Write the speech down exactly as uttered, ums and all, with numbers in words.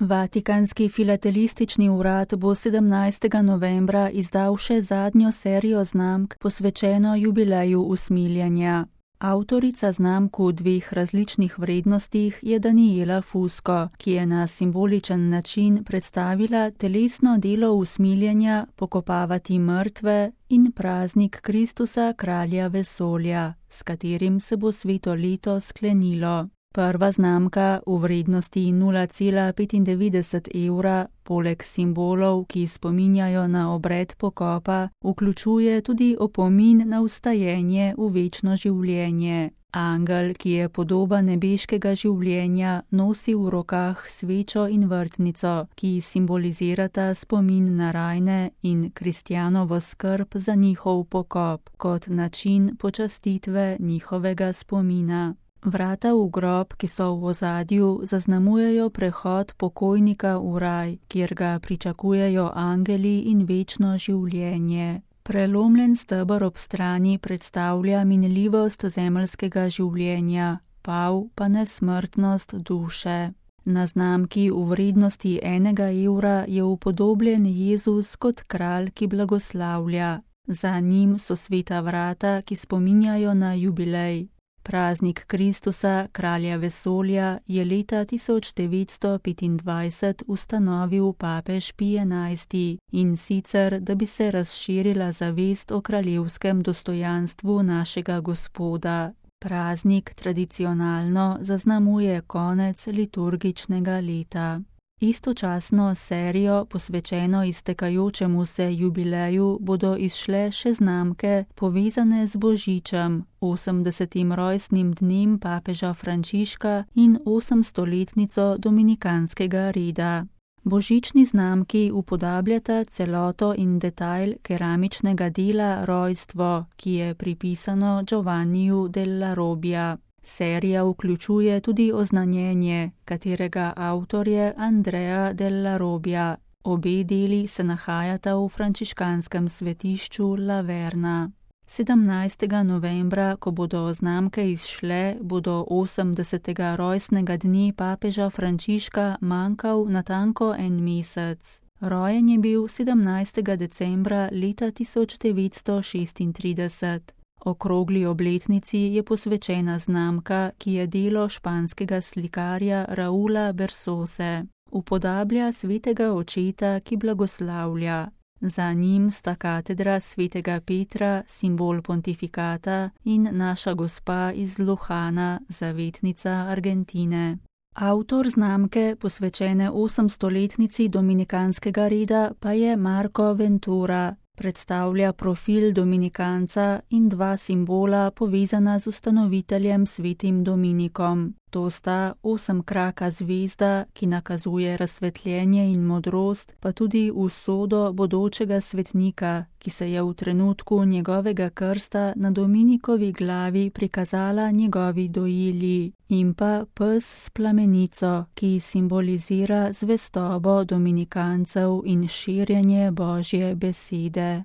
Vatikanski filatelistični urad bo sedemnajstega novembra izdal še zadnjo serijo znamk, posvečeno jubileju usmiljenja. Avtorica znamk v dveh različnih vrednostih je Daniela Fusco, ki je na simboličen način predstavila telesno delo usmiljenja, pokopavati mrtve in praznik Kristusa, kralja vesolja, s katerim se bo sveto leto sklenilo. Prva znamka v vrednosti nula cela petindevetdeset evra, poleg simbolov, ki spominjajo na obred pokopa, vključuje tudi opomin na vstajenje v večno življenje. Angel, ki je podoba nebeškega življenja, nosi v rokah svečo in vrtnico, ki simbolizirata spomin na rajne in kristjanovo skrb za njihov pokop, kot način počastitve njihovega spomina. Vrata v grob, ki so v ozadju, zaznamujejo prehod pokojnika v raj, kjer ga pričakujejo angeli in večno življenje. Prelomljen steber ob strani predstavlja minljivost zemeljskega življenja, pav pa nesmrtnost duše. Na znamki v vrednosti enega evra je upodobljen Jezus kot kralj, ki blagoslavlja. Za njim so sveta vrata, ki spominjajo na jubilej. Praznik Kristusa, kralja vesolja, je leta tisoč devetsto petindvajset ustanovil papež Pij enajsti in sicer, da bi se razširila zavest o kraljevskem dostojanstvu našega Gospoda. Praznik tradicionalno zaznamuje konec liturgičnega leta. Istočasno serijo, posvečeno iztekajočemu se jubileju, bodo izšle še znamke povezane z Božičem, osemdesetim rojstnim dnem papeža Frančiška in osemstoletnico dominikanskega reda. Božični znamki upodabljata celoto in detajl keramičnega dela Rojstvo, ki je pripisano Giovanniju della Robbia. Serija vključuje tudi oznanjenje, katerega avtor je Andrea della Robbia. Obe deli se nahajata v frančiškanskem svetišču La Verna. sedemnajstega novembra, ko bodo znamke izšle, bodo osemdesetega rojstnega dne papeža Frančiška manjkal natanko en mesec. Rojen je bil sedemnajstega decembra leta tisoč devetsto šestintrideset. Okrogli obletnici je posvečena znamka, ki je delo španskega slikarja Raula Bersose. Upodablja svetega očeta, ki blagoslavlja. Za njim sta katedra svetega Petra, simbol pontifikata, in naša gospa iz Luhana, zavetnica Argentine. Avtor znamke, posvečene osemstoletnici dominikanskega reda, pa je Marco Ventura. Predstavlja profil dominikanca in dva simbola povezana z ustanoviteljem svetim Dominikom. To sta osemkraka zvezda, ki nakazuje razsvetljenje in modrost, pa tudi usodo bodočega svetnika, ki se je v trenutku njegovega krsta na Dominikovi glavi prikazala njegovi dojilji, in pa pes s plamenico, ki simbolizira zvestobo dominikancev in širjenje Božje besede.